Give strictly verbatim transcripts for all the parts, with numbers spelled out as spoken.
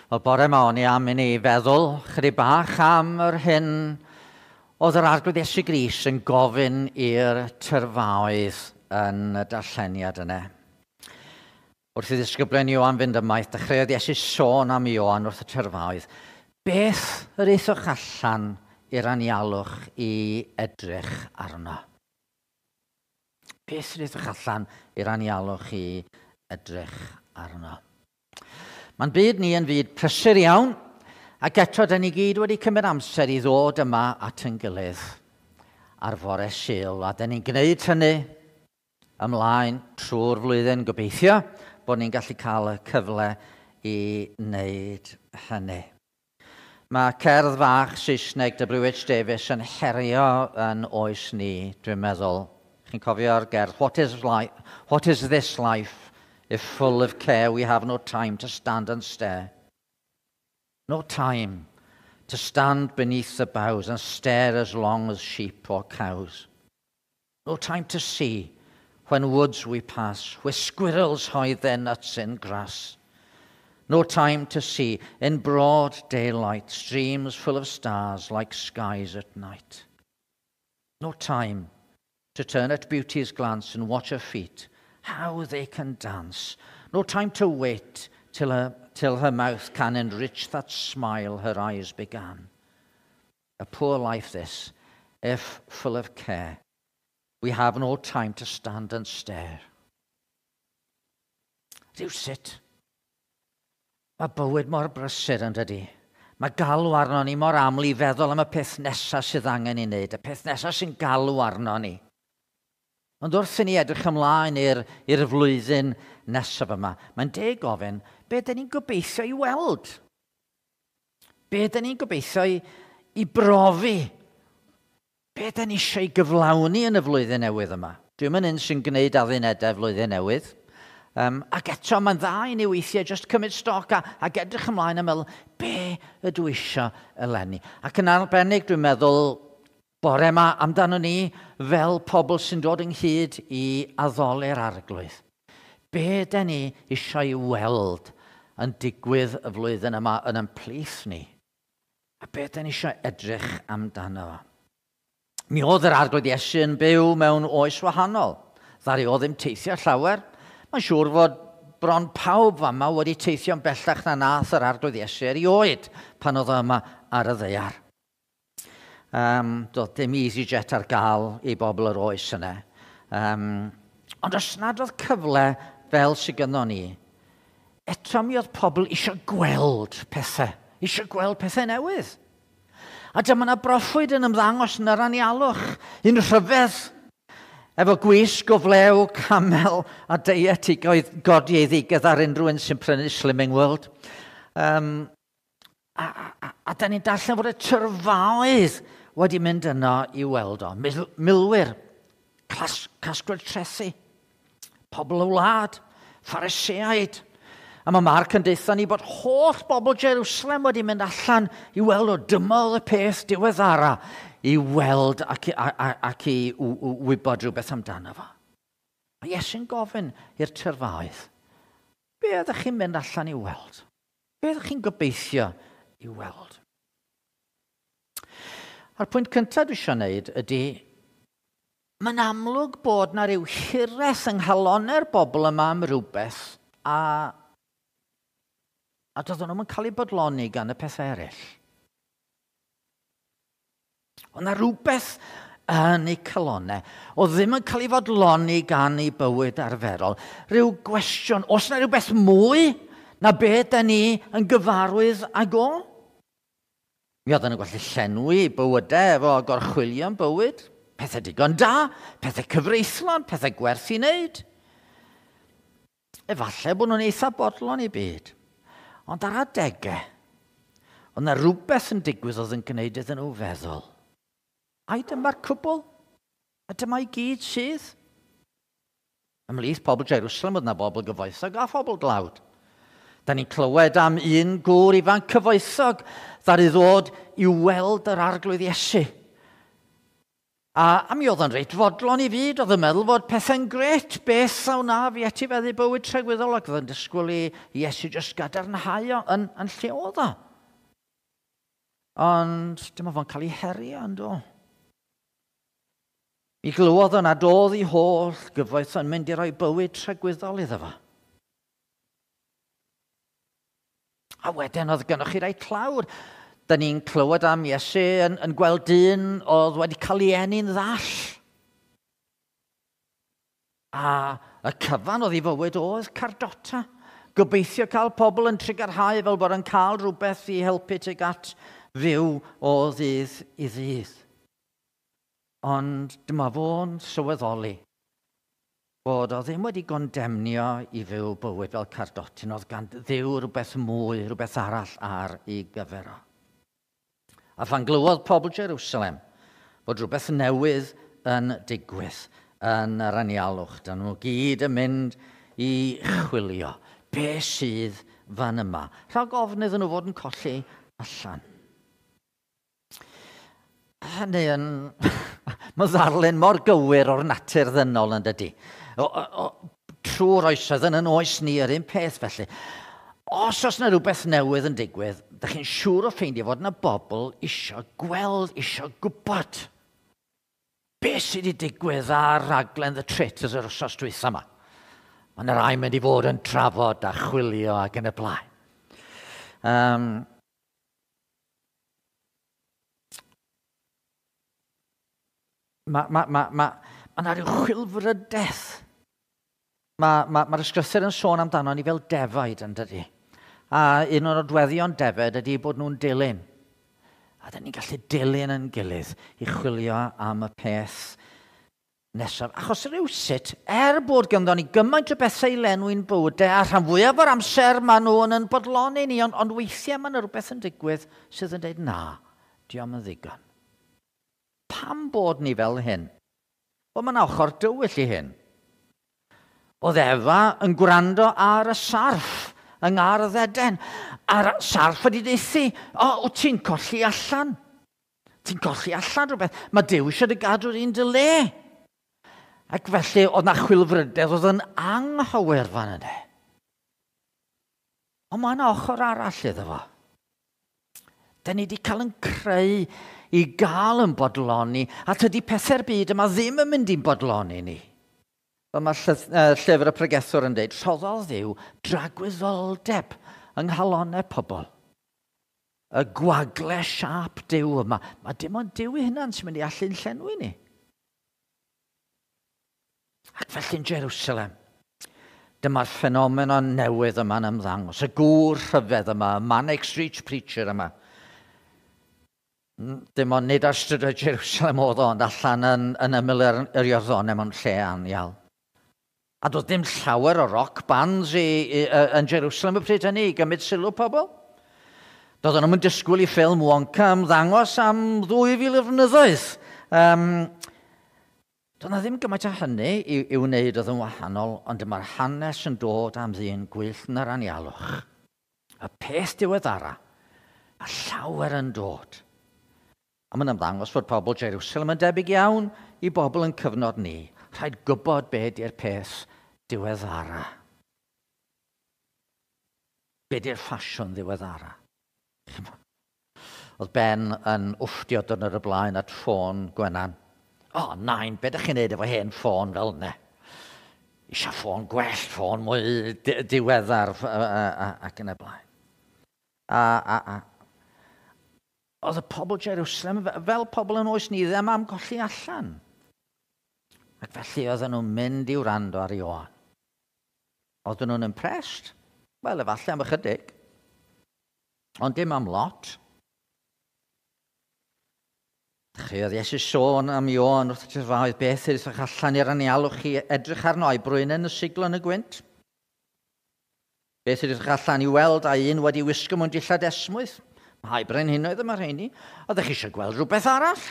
Wel, bore yma o'n i am i ni feddwl chydig bach am yr hyn oedd yr Arglwydd Iesu Grist yn gofyn i'r tyrfaoedd yn y darlleniad yna. Wrth i ddisgyblion Ioan fynd ymaith, dechreuodd Iesu sôn am Ioan wrth y tyrfaoedd. Beth yr aethoch allan i'r anialwch i edrych arno? Beth yr aethoch allan i'r anialwch i edrych arno? Mae'n byd ni yn fyd prysur iawn, ac eto da ni gyd wedi cymryd amser i ddod yma at yn gilydd ar fore Sul, a da ni'n gwneud hynny ymlaen trwy'r flwyddyn, gobeithio bod ni'n gallu cael y cyfle i wneud hynny. Mae cerdd fach Saesneg W H Davies yn herio yn oes ni, dwi'n meddwl. Chi'n cofio'r gerdd, What is life? What is this life? If full of care, we have no time to stand and stare. No time to stand beneath the boughs and stare as long as sheep or cows. No time to see when woods we pass, where squirrels hide their nuts in grass. No time to see in broad daylight streams full of stars like skies at night. No time to turn at beauty's glance and watch her feet, how they can dance. No time to wait till her, till her mouth can enrich that smile her eyes began. A poor life this, if full of care. We have no time to stand and stare. Rhywsut, mae bywyd mor brysur yn dydi. Mae galw arno ni mor aml i feddwl am y peth nesaf sydd angen i wneud, y peth nesaf sy'n galw arno ni. Ond wrth i ni edrych ymlaen i'r, i'r flwyddyn nesaf yma, mae'n deg gofyn, be dyn ni'n gobeithio i weld? Be dyn ni'n gobeithio i, i brofi? Be dyn ni eisiau i gyflawni yn y flwyddyn newydd yma? Dwi'm yn un sy'n gwneud addunedau flwyddyn newydd. Um, ac eto mae'n dda i ni weithiau just cymryd stoc a, ac edrych ymlaen a meddwl, be ydw i eisiau eleni? Ac yn arbennig dwi'n meddwl, bore yma amdano ni fel pobl sy'n dod ynghyd i addoli'r Arglwydd. Be dyn ni eisiau i weld yn digwydd y flwyddyn yma yn ein plith ni? A be dyn ni eisiau edrych amdano fo? Mi oedd yr Arglwydd Iesu yn byw mewn oes wahanol. Ddaru o ddim teithio llawer. Mae'n siŵr fod bron pawb fama wedi teithio'n bellach na nath yr Arglwydd Iesu erioed pan oedd o yma ar y ddaear. Um, doedd dim EasyJet ar gael i bobl yr oes yna. Um, ond os nad oedd cyfle fel sydd gynnon ni, eto mi oedd pobl eisiau gweld pethau, eisiau gweld pethau newydd. A dyma yna broffwyd yn ymddangos yn yr anialwch, un rhyfedd, efo gwisg o flew, camel a deiet i godi ei ddigedd ar unrhyw un sy'n prynu Slimming World. Um, a, a, a da ni'n darllen fod y tyrfaoedd wedi mynd yno i weld o. Mil, milwyr, clas, casglwyr trethi, pobl y wlad, Phariseaid. A mae Marc yn deutha ni bod holl bobl Jerusalem wedi mynd allan i weld o. Dyma oedd y peth diweddara i weld ac, a, a, ac i wybod rhywbeth amdano fo. Mae Iesu'n gofyn i'r tyrfaoedd, be ydych chi'n mynd allan i weld? Be ydych chi'n gobeithio i weld? A'r pwynt cyntaf dwi eisiau gwneud ydy, mae'n amlwg bod na ryw hiraeth yng nghalonnau'r bobl yma am rhywbeth a, a doedden nhw'm yn cael eu bodloni gan y pethau eraill. Oedd na rhywbeth yn eu calonnau oedd ddim yn cael ei fodloni gan eu bywyd arferol. Rhyw gwestiwn, oes na rhywbeth mwy na be da ni yn gyfarwydd ag o? Mi oedden nhw'n gallu llenwi bywydau efo gorchwylion bywyd. Pethau digon da, pethau cyfreithlon, pethau gwerth i wneud. Efallai bod nhw'n eitha bodlon i byd. Ond ar adegau, oedd na rhywbeth yn digwydd oedd yn gwneud iddyn nhw feddwl. Ai dyma'r cwbl? A dyma i gyd sydd? Ymhlith pobl Jerusalem oedd na bobl gyfoethog a phobl dlawd. Da ni'n clywed am un gŵr ifanc cyfoethog ddaru ddod i weld yr Arglwydd Iesu. A, a mi oedd yn reit fodlon i fyd, oedd yn meddwl fod pethau'n gret, beth a wna fi etifeddu bywyd tragwyddol, ac oedd yn disgwyl i Iesu jyst gadarnhau o yn, yn lle oedd o. Ond dyma fo'n cael ei herio, yn do. Mi glywodd o nad oedd ei holl gyfoeth yn mynd i roi bywyd tragwyddol iddo fo. A wedyn oedd gennych chi rai tlawd. Da ni'n clywed am Iesu yn, yn gweld dyn oedd wedi cael ei eni'n ddall. A y cyfan oedd ei fywyd oedd cardota. Gobeithio cael pobl yn trugarhau fel bod yn cael rhywbeth i helpu tuag at fyw o ddydd i ddydd. Ond dyma fo'n sylweddoli bod o ddim wedi gondemnio i fyw bywyd fel cardotyn, oedd gan Dduw rhywbeth mwy, rhywbeth arall ar ei gyfer o. A phan glywodd pobl Jerusalem bod rhywbeth newydd yn digwydd yn yr anialwch, dyn nhw gyd yn mynd i chwilio be sydd fan yma. Rhag ofn iddyn nhw fod yn colli allan. Hynny yn... Mae ddarlun mor gywir o'r natur ddynol yn dydy. O, o, o, trwy'r oesoedd yn yn oes ni yr un peth felly. Os oes yna rhywbeth newydd yn digwydd, dych chi'n siŵr o ffeindio fod yna bobl isio gweld, isio gwybod. Be sydd wedi digwydd ar raglen The Traitors yr wythnos dwytha yma? Mae yna rai mynd i fod yn trafod a chwilio ac yn y blaen. Um, Mae ma, ma, ma, ma yna rhyw chwilfrydedd. Mae'r ma, ma ysgrythur yn sôn amdano ni fel defaid yn dydy. A un o'r nodweddion defaid ydy bod nhw'n dilyn. A dyn ni'n gallu dilyn yn gilydd i chwilio am y peth nesaf. Achos rhywsut, er bod ganddo ni gymaint o bethau i lenwi'n bywydau, a rhan fwyaf o'r amser maen nhw'n yn bodloni ni, ond, ond weithiau mae yna rhywbeth yn digwydd sydd yn dweud na, diom yn ddigon. Pam bod ni fel hyn? Wel, mae yna ochr dywyll i hyn. Oedd Efa yn gwrando ar y sarff yng Ngardd Eden. A'r sarff wedi deithi, o, o ti'n colli allan. Ti'n colli allan rhywbeth. Mae Duw eisiau dy gadw'r un dy le. Ac felly, oedd na chwilfrydedd oedd yn anghywir fan yna. Ond mae yna ochr arall iddo fo. Da ni wedi cael yn creu i gael yn bodloni, a tydi pethau'r byd yma ddim yn mynd i'n bodloni ni. Fel mae llyfr y pregethwr yn dweud, rhoddodd Dduw dragwyddoldeb yng nghalonnau pobl. Y gwagle siâp Duw yma. Mae dim ond Duw ei hunan sy'n mynd i allu'n llenwi ni. Ac felly'n Jerusalem, dyma'r ffenomenon newydd yma'n ymddangos, y gŵr rhyfedd yma, y Manic Street Preacher yma. Dim ond nid ar strydoedd Jerusalem oedd o, ond allan yn, yn ymyl yr, yr Iorddonen mewn lle anial. A doedd dim llawer o rock bands i, i, yn Jerusalem y pryd hynny i gymryd sylw pobl. Doedden nhw'n disgwyl i ffilm Wonka ymddangos am ddwy fil o flynyddoedd. Um, doedd na ddim gymaint o hynny i, i wneud oedd yn wahanol, ond dyma'r hanes yn dod am ddyn gwyllt yn yr anialwch. Y peth diweddara, a llawer yn dod. A mae'n ymddangos fod pobl Jerusalem yn debyg iawn i bobl yn cyfnod ni. Rhaid gwybod be di'r peth diweddara. Be di'r ffasiwn ddiweddara. Oedd Ben yn wfftio dwrnod y blaen at ffôn Gwenan. O, oh, nain, be ydych chi'n neud efo hen ffôn fel yna? Isio ffôn gwell, ffôn mwy diweddar ac yn y blaen. A, a, a. Oedd y pobl Jerusalem, fel pobl yn oes ni, ddim am golli allan. Ac felly oedden nhw'n mynd i wrando ar Ioan. Oedden nhw'n impressed? Wel, efallai am ychydig. Ond dim am lot. Dechreuodd Iesu sôn am Ioan wrth y tyrfaoedd, beth ydych allan i'r anialwch chi edrych arno a'i brwynen y siglo yn y gwynt? Beth ydych allan i weld a un wedi wisgo mewn dillad esmwyth? Mae brenhinoedd yma rheini. Oeddech chi eisiau gweld rhywbeth arall?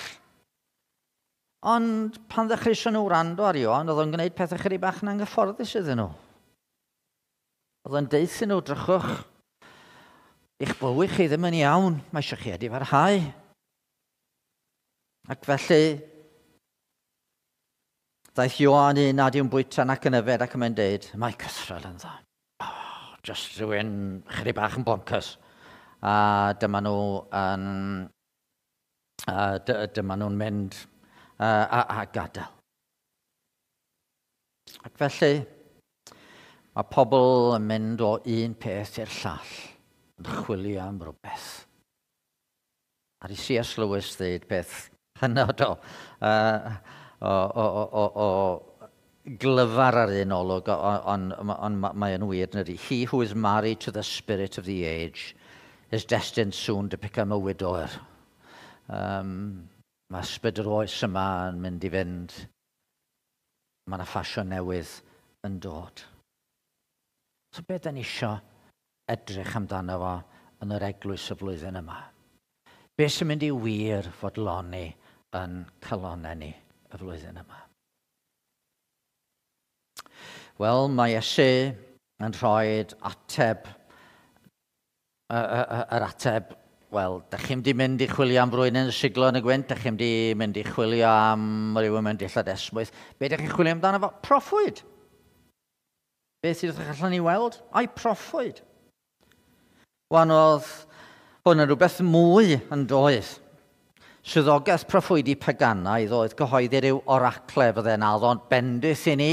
Ond pan ddechreuson nhw wrando ar Ioan, oedd o'n gwneud pethau chydig bach yn anghyfforddus iddyn nhw. Oedd o'n deuthyn nhw, drychwch, eich bywyd chi ddim yn iawn, mae eisiau chi edifarhau. Ac felly, Ddaeth Ioan un nad yw'n bwyta nac yn yfed ac yn mynd deud, mae cythrel yn dda. Oh, just rhywun chydig bach yn bonkers. A dyma nhw yn, a dyma nhw'n mynd a, a, a gadael. Ac felly, mae pobl yn mynd o un peth i'r llall, yn chwilio am rhywbeth. A di C S Lewis ddeud peth hynod o, uh, o, o, o, o glyfar ar un olwg, ond on, on, mae yn wir, ydy. He who is married to the spirit of the age is destined soon to become a widower. Um, mae ysbryd yr oes yma yn mynd i fynd. Mae yna ffasiwn newydd yn dod. So beth da ni isio edrych amdano fo yn yr eglwys y flwyddyn yma? Be sy'n mynd i wir fodloni yn calonnau ni y flwyddyn yma? Wel, mae Iesu yn rhoi ateb, yr ateb, wel, da chi'n mynd i mynd i chwilio am rywun yn siglo yn y gwynt, da chi'n mynd i mynd i chwilio am rywun mewn dillad esmwyth. Be da chi'n chwilio amdano fo? Proffwyd. Beth sydd ydych allan i weld? Ai, proffwyd. Wan oedd hwn yn rhywbeth mwy yn doedd. Swyddogaeth proffwydi paganaidd oedd gyhoeddi rhyw oracle fydde'n addo'n bendith i ni,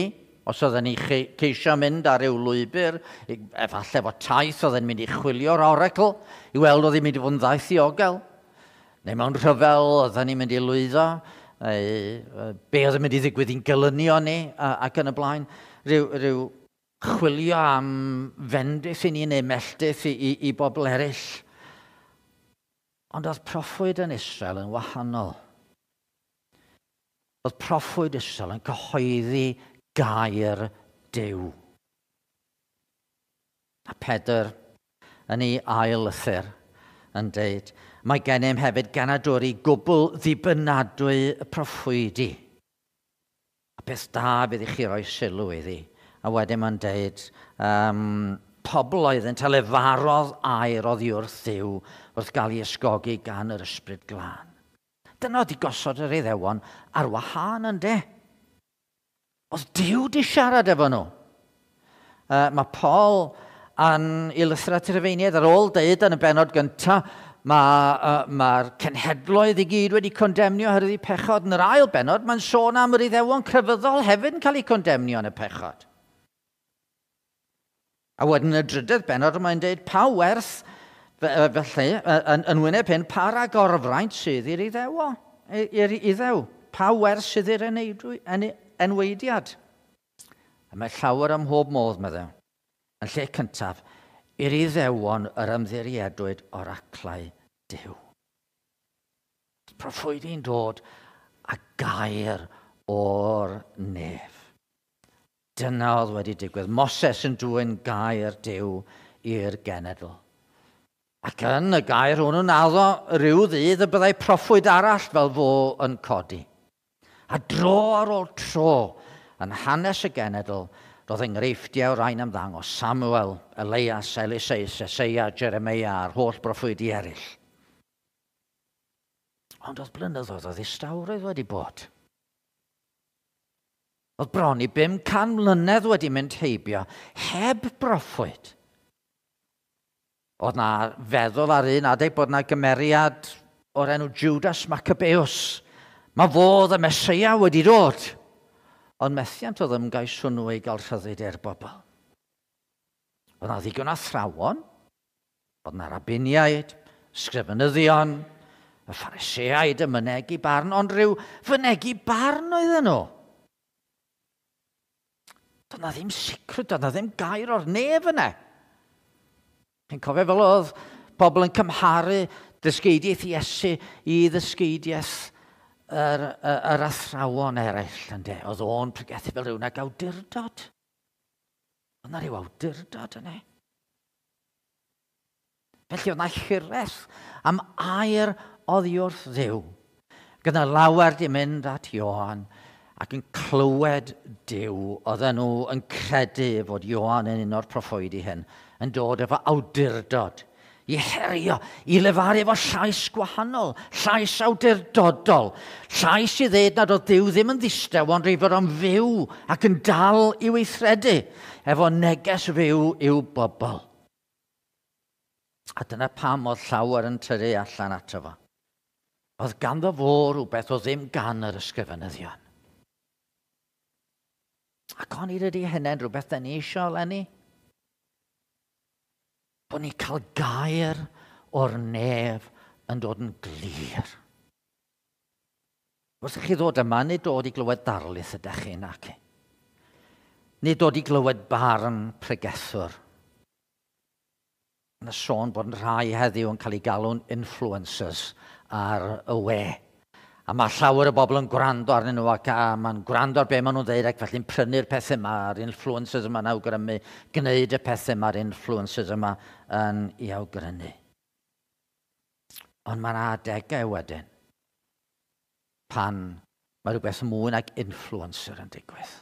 os oedden ni ceisio mynd ar ryw lwybr, efallai fod taith oedden mynd i chwilio'r oracle, i weld oedd hi'n mynd i fod yn ddaith ddiogel, neu mewn rhyfel oedden ni'n mynd i lwyddo, be oedd yn mynd i ddigwydd i'n gylynio ni, ac yn y blaen, rhyw, rhyw chwilio am fendith i ni neu melltith i, i, i bobl eraill. Ond oedd proffwyd yn Israel yn wahanol. Oedd proffwyd Israel yn cyhoeddi gair Duw. A Pedr yn ei ail lythyr yn deud, mae gennym hefyd genadwri gwbl ddibynadwy y proffwydi. A beth da bydd i chi roi sylw iddi. A wedyn mae'n deud, um, pobl oedd yn lefarodd air oddi wrth Dduw wrth gael ei ysgogi gan yr Ysbryd Glân. Dyna oedd i gosod yr Iddewon ar wahân yn de. Oedd Duw di siarad efo nhw. Uh, mae Paul yn ei lythyr at y Rhufeiniaid ar ôl deud yn y bennod gyntaf, mae'r uh, ma cenhedloedd i gyd wedi condemnio oherwydd eu pechod. Yn yr ail bennod, mae'n sôn am yr Iddewon crefyddol hefyd yn cael eu condemnio yn y pechod. A wedyn y drydydd bennod, mae'n deud pa werth, felly, yn, yn wyneb hyn, pa ragorfraint sydd i'r Iddewo, i'r Iddew? Pa werth sydd i'r enweidiad? A mae llawer ym mhob modd, meddwl. Yn lle cyntaf, i'r Iddewon yr ymddiriedwyd oraclau Duw. Proffwydi'n dod a gair o'r nef. Dyna oedd wedi digwydd. Moses yn dwyn gair Duw i'r genedl. Ac yn y gair hwnnw'n addo rhyw ddydd y byddai proffwyd arall fel fo yn codi. A dro ar ôl tro yn hanes y genedl, roedd enghreifftiau rhain ymddangos Samuel, Elias, Eliseus, Eseia, Jeremia a'r holl broffwydi eraill. Ond oedd blynyddoedd o ddistawrwydd wedi bod. Oedd bron i bum can mlynedd wedi mynd heibio heb broffwyd. Oedd na feddwl ar un adeg bod na gymeriad o'r enw Judas Maccabeus. Mae fodd y Meseia wedi dod. Ond methiant oedd ymgais hwnnw i gael rhyddid i'r bobl. Oedd na ddigon athrawon, oedd na rabiniaid, sgrifenyddion, y Phariseaid yn mynegi barn, ond rhyw fynegi barn oedden nhw. Doedd na ddim sicrwydd, doedd na ddim gair o'r nef yna. Chi'n cofio fel oedd pobl yn cymharu dysgeidiaeth Iesu i ddysgeidiaeth yr, yr, yr athrawon eraill, ynde? Oedd o'n pregethu fel rhywun ag awdurdod. Oedd na rhyw awdurdod yna. Felly oedd na hiraeth am air oddi wrth Dduw. Gyda lawer di mynd at Ioan ac yn clywed Duw, oedden nhw yn credu fod Ioan yn un o'r proffwydi hyn, yn dod efo awdurdod I herio, i lefaru efo llais gwahanol, llais awdurdodol, llais i ddeud nad oedd Duw ddim yn ddistaw, ond ei fod o'n fyw ac yn dal i weithredu efo neges fyw i'w bobl. A dyna pam oedd llawer yn tyrru allan ato fo. Oedd ganddo fo rhywbeth oedd ddim gan yr ysgrifenyddion. Ac onid ydy hynny'n rhywbeth da ni eisiau eleni? Bod ni'n cael gair o'r nef yn dod yn glir. Wrth i chi ddod yma, nid dod i glywed darlith ydych chi, nac. Nid dod i glywed barn pregethwr. Yna sôn bod yn rhai heddiw yn cael ei galw'n influencers ar y we. A mae llawer o bobl yn gwrando arnyn nhw ac a mae'n gwrando ar be maen nhw'n dweud ac felly'n prynu'r pethau yma, a'r influencers yma'n awgrymu, gwneud y pethau yma, a'r influencers yma yn ei awgrymu. Ond mae'n adegau wedyn pan mae rhywbeth mwy nag influencer yn digwydd.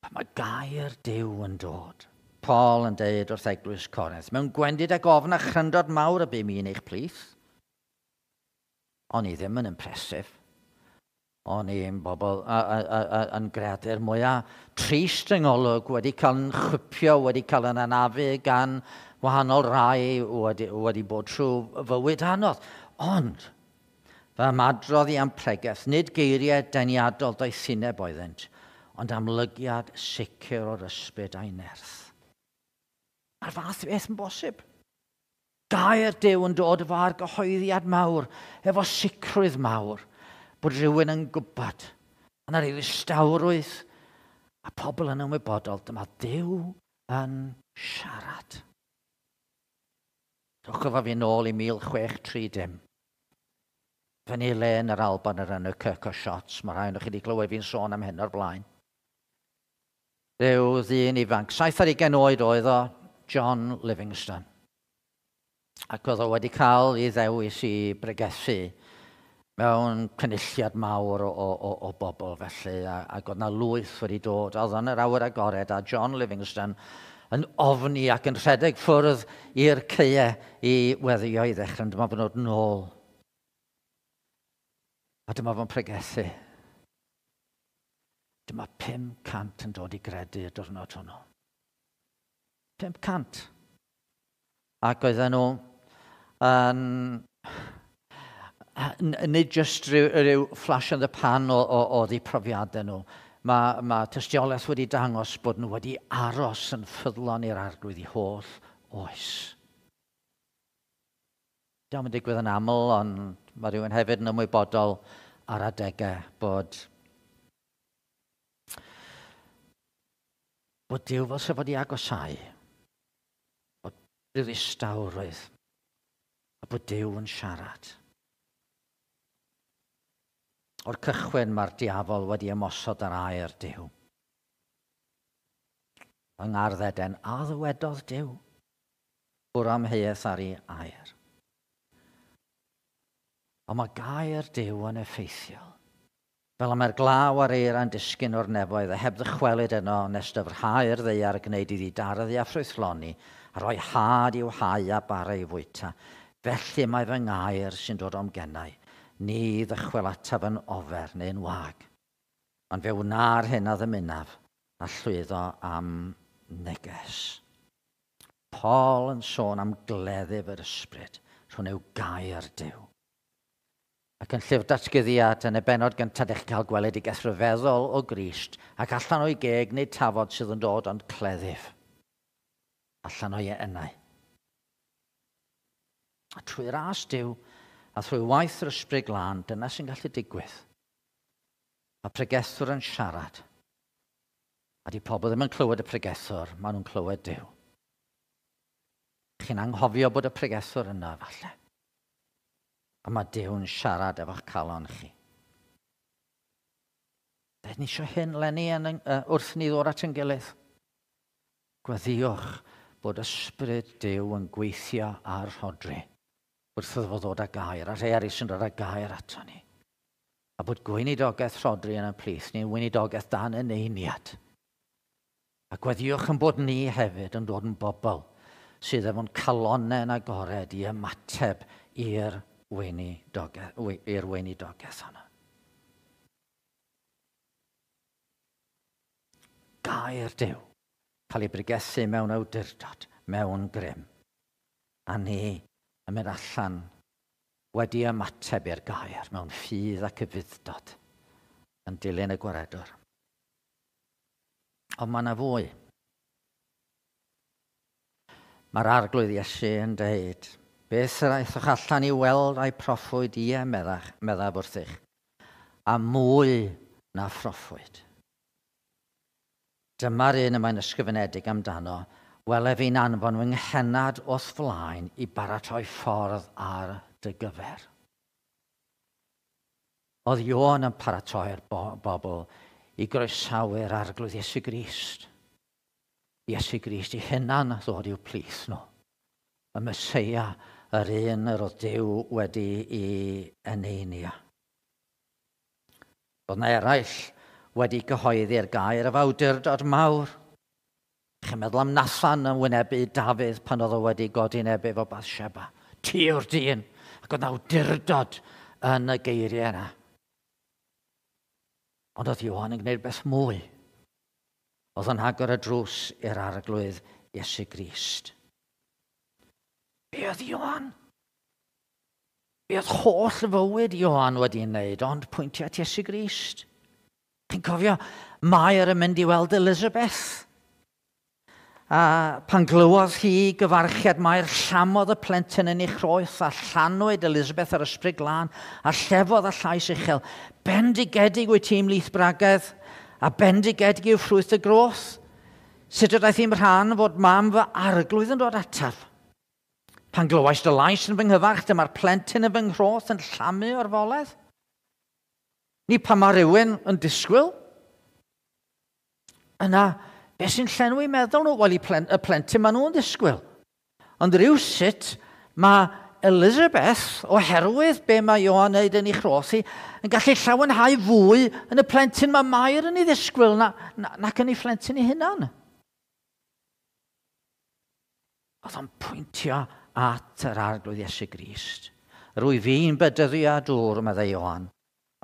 Pan mae gair Duw yn dod. Paul yn deud wrth eglwys Corinth, mewn gwendid ac ofn a chryndod mawr y bum i yn eich plith. O'n i ddim yn impressive. O'n i'n bobl a, a, a, a, yn greadur mwyaf trist yng ngolwg, wedi cael yn chwipio, wedi cael yn anafu gan wahanol rai wedi, wedi bod trwy fywyd anodd. Ond, fy ymadrodd i am pregeth, nid geiriau deniadol doethineb oeddynt, ond amlygiad sicr o'r ysbryd a'i nerth. Mae'r fath beth yn bosib. Gair Duw yn dod efo argyhoeddiad mawr, efo sicrwydd mawr, bod rhywun yn gwybod. Yna rhyw ddistawrwydd, a pobl yn ymwybodol, dyma Duw yn siarad. Dewch efo fi nôl i mil chwech tri dim. Fyny le yn yr Alban yr enw Kirk o Shots, mae rhai ohonoch chi wedi clywed fi'n sôn am hyn o'r blaen. Rhyw ddyn ifanc, saith ar ugain oed oedd o, John Livingstone. Ac oedd o wedi cael ei ddewis i bregethu mewn cynulliad mawr o, o, o, o bobl felly, a, ac oedd na lwyth wedi dod. Oedd yn yr awyr agored, a John Livingstone yn ofni ac yn rhedeg ffwrdd i'r caeau i weddio i ddechrau, ond dyma fo'n dod nôl. A dyma fo'n pregethu. Dyma pum cant yn dod i gredu y diwrnod hwnnw. pum cant. Ac oedden nhw yn, nid jyst rhyw, rhyw flash in the pan o, o, o ddi profiadau nhw. Mae, mae tystiolaeth wedi dangos bod nhw wedi aros yn ffyddlon i'r Arglwydd i holl oes. Dio'm yn digwydd yn aml, ond mae rhywun hefyd yn ymwybodol ar adegau bod bod Duw fel sef wedi agosau, bod rhyw ddistawrwydd, a bod Duw yn siarad. O'r cychwyn mae'r diafol wedi ymosod ar air Duw. Yng Ngardd Eden, a ddywedodd Duw, bwrw amheuaeth ar ei air. Ond mae gair Duw yn effeithiol. Fel y mae'r glaw a'r eira'n disgyn o'r nefoedd a heb ddychwelyd yno nes dyfrhau'r ddaear a gwneud iddi darfu a ffrwythloni a rhoi had i'w hau a bara i fwyta. Felly mae fy ngair sy'n dod o'm gennau. Ni ddychwel ataf yn ofer neu'n wag. Ond fe wna'r hyn a ddymunaf a llwyddo am neges. Paul yn sôn am gleddyf yr ysbryd rhwng yw gair Duw. Ac yn llyfr datguddiad yn y bennod gyntaf, dych chi'n cael gweledigaeth rhyfeddol o Grist ac allan o'i geg nid tafod sydd yn dod ond cleddyf. Allan o'i enau. A trwy ras Duw a thrwy waith yr ysbryd glân, dyna sy'n gallu digwydd. Mae pregethwr yn siarad. A di pobl ddim yn clywed y pregethwr, maen nhw'n clywed Duw. Chi'n anghofio bod y pregethwr yna, falle. A mae Duw'n siarad efo'ch calon chi. Dyn ni eisiau hyn, Lenny, yn, uh, wrth ni ddod at yn gilydd. Gweddïwch bod ysbryd Duw yn gweithio ar Rhodri wrth iddo fo ddod â gair, a rhai eraill sy'n dod â gair ato ni. A bod gweinidogaeth Rhodri yn y plith ni'n weinidogaeth dan eneiniad. A gweddïwch yn bod ni hefyd yn dod yn bobl sydd efo'n calonnau'n agored i ymateb i'r weinidogaeth, i'r weinidogaeth yna. Gair Duw, cael ei bregethu mewn awdurdod, mewn grym. A ni yn mynd allan wedi ymateb i'r gair mewn ffydd ac ufudd-dod yn dilyn y gwaredwr. Ond mae yna fwy. Mae'r Arglwydd Iesu yn dweud, beth yr aethoch allan i weld a'i proffwyd, ie, meddach, meddaf wrthych, a mwy na phroffwyd. Dyma'r un y mae'n ysgrifenedig amdano, wele fi'n anfon fy nghennad o'th flaen i baratoi ffordd ar dy gyfer. Oedd Ioan yn paratoi'r bobl i groesawu'r Arglwydd Iesu Grist. Iesu Grist i hunan ddod i'w plith nhw. Y Meseia, yr un yr oedd Duw wedi i eneinio. Oedd yna eraill wedi cyhoeddi'r gair o awdurdod mawr. Chi'n meddwl am Nathan yn wynebu Dafydd pan oedd o wedi godi neb efo Bathsheba. Ti yw'r dyn. Ac oedd awdurdod yn y geiriau yna. Ond oedd Ioan yn gwneud beth mwy. Oedd yn agor y drws i'r Arglwydd Iesu Grist. Be oedd Ioan? Be oedd holl fywyd Ioan wedi wneud, ond pwyntio at Iesu Grist? Chi'n cofio, Mair yn mynd i weld Elizabeth. A pan glywodd hi gyfarchiad Mair, llamodd y plentyn yn ei chroeth a llanwyd Elizabeth ar Ysbryd Glân a llefodd â llais uchel. Bendigedig wyt ti ymhlith gwragedd a bendigedig yw ffrwyth y groth. Sut y daeth i'm rhan fod mam fy Arglwydd yn dod ataf? Pan glywais dy lais yn fy nghyfarch, dyma'r plentyn yn fy nghroth yn llamu o'r foledd. Ni pan mae rhywun yn disgwyl, yna, beth sy'n llenwi meddwl nhw? Wel, y plentyn maen nhw'n disgwyl. Ond rhywsut, mae Elizabeth, oherwydd be mae Ioan wneud yn ei chroth hi, yn gallu llawenhau fwy yn y plentyn mae Mair yn ei ddisgwyl na, na, nac yn ei phlentyn ei hunan. Oedd o'n pwyntio at yr Arglwydd Iesu Grist. Rwy fi'n bedyddio â dŵr, meddai Ioan,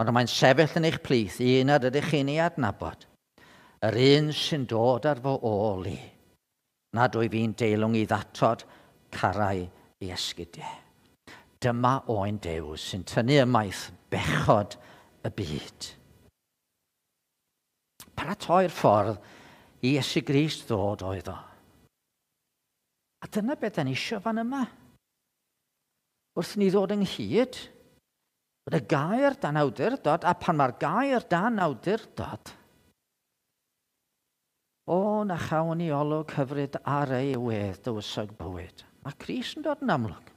ond mae'n sefyll yn eich plith, un nad ydych chi'n ei adnabod. Yr un sy'n dod ar fy ôl i, nad wyf fi'n deilwng i ddatod carau i esgidiau. Dyma oen Duw sy'n tynnu ymaith bechod y byd. Paratoi'r ffordd i Iesu Grist ddod oedd o. A dyna beth da ni eisiau fan yma. Wrth ni ddod ynghyd, bod y gair dan awdurdod, a pan mae'r gair dan awdurdod, o, na chawn ni olwg hyfryd ar ei wedd dywysog bywyd. Mae Crist yn dod yn amlwg.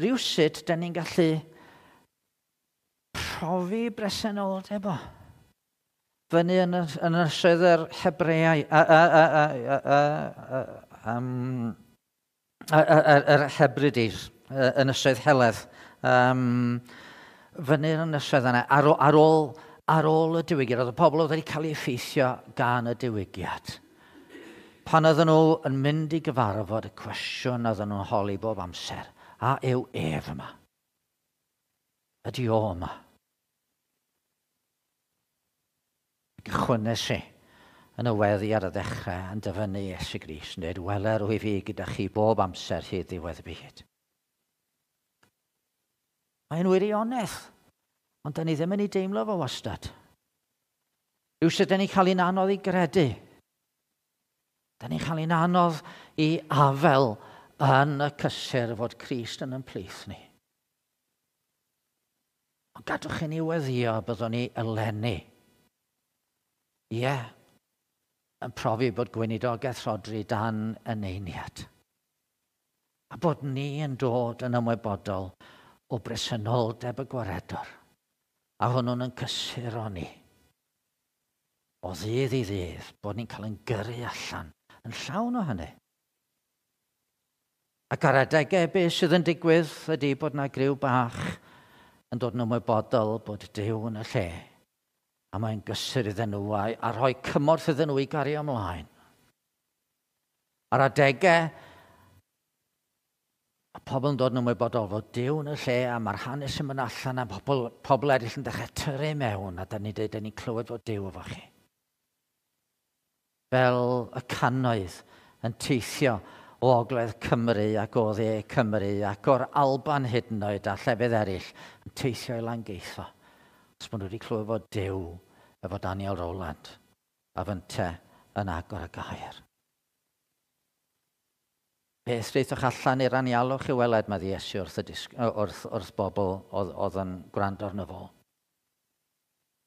Rhywsut, da ni'n gallu profi bresenoldeb o. Fyny yn y, yn ynysoedd yr Hebreau, yr Hebrides, ynysoedd Heledd, um, fyny yn ynysoedd yna, ar, ar, ôl, ar ôl y diwygiad, oedd y pobl oedd wedi cael eu effeithio gan y diwygiad. Pan oedden nhw yn mynd i gyfarfod, y cwestiwn oedden nhw'n holi bob amser, a yw ef yma? Ydy o yma? Gychwynnes i yn y weddi ar y ddechrau yn dyfynnu Iesu Grist yn dweud, wele rwyf fi gyda chi bob amser hyd ddiwedd y byd. Mae'n wirionedd, ond da ni ddim yn ei deimlo fo wastad. Rhywsut da ni'n cael ein anodd i gredu. Da ni'n cael ein anodd i afel yn y cysur fod Crist yn ein plith ni. Ond gadwch i ni weddio byddwn ni eleni. Ie, yeah, yn profi bod gweinidogaeth Rhodri dan eneiniad. A bod ni yn dod yn ymwybodol o bresenoldeb y gwaredwr. A hwnnw'n yn cysuro ni. O ddydd i ddydd, bod ni'n cael ein gyrru allan yn llawn o hynny. Ac ar adegau beth sydd yn digwydd ydy bod yna griw bach yn dod yn ymwybodol bod Duw yn y lle. A mae'n gysur iddyn nhw a, a rhoi cymorth iddyn nhw i gario ymlaen. Ar adegau, a pobl yn dod yn ymwybodol fod Duw yn y lle a mae'r hanes yn mynd allan a pobl, pobl eraill yn dechrau tyrru mewn a da ni'n dweud, da ni'n clywed fod Duw efo chi. Fel y cannoedd yn teithio o Ogledd Cymru ac o Dde Cymru ac o'r Alban hyd yn oed a llefydd eraill yn teithio i Langeitho. Os maen nhw wedi clywed fod Duw efo Daniel Rowland a fynte yn agor y gair. Beth deuthoch allan i'r anialwch i weled, mae Iesu wrth, y disg, wrth, wrth bobl oedd, oedd yn gwrando arno fo.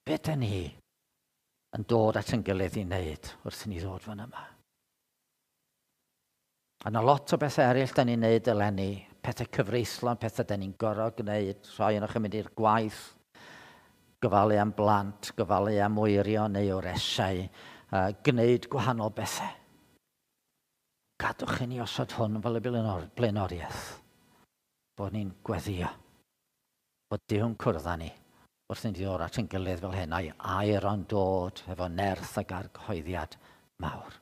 Be dyn ni yn dod at yn gilydd i wneud wrth i ni ddod fan yma? A yna lot o bethau eraill da ni'n wneud eleni, pethau cyfreithlon, pethau da ni'n gorfod gwneud, rhai ohonoch yn mynd i'r gwaith, gofalu am blant, gofalu am wyrion neu wyresau, uh, gwneud gwahanol bethau. Gadwch i ni osod hwn fel y blaenoriaeth. Bod ni'n gweddio. Bod Duw'n cwrdd â ni wrth i ni ddod at ein gilydd fel hyn, a'i air o'n dod efo nerth ac argyhoeddiad mawr.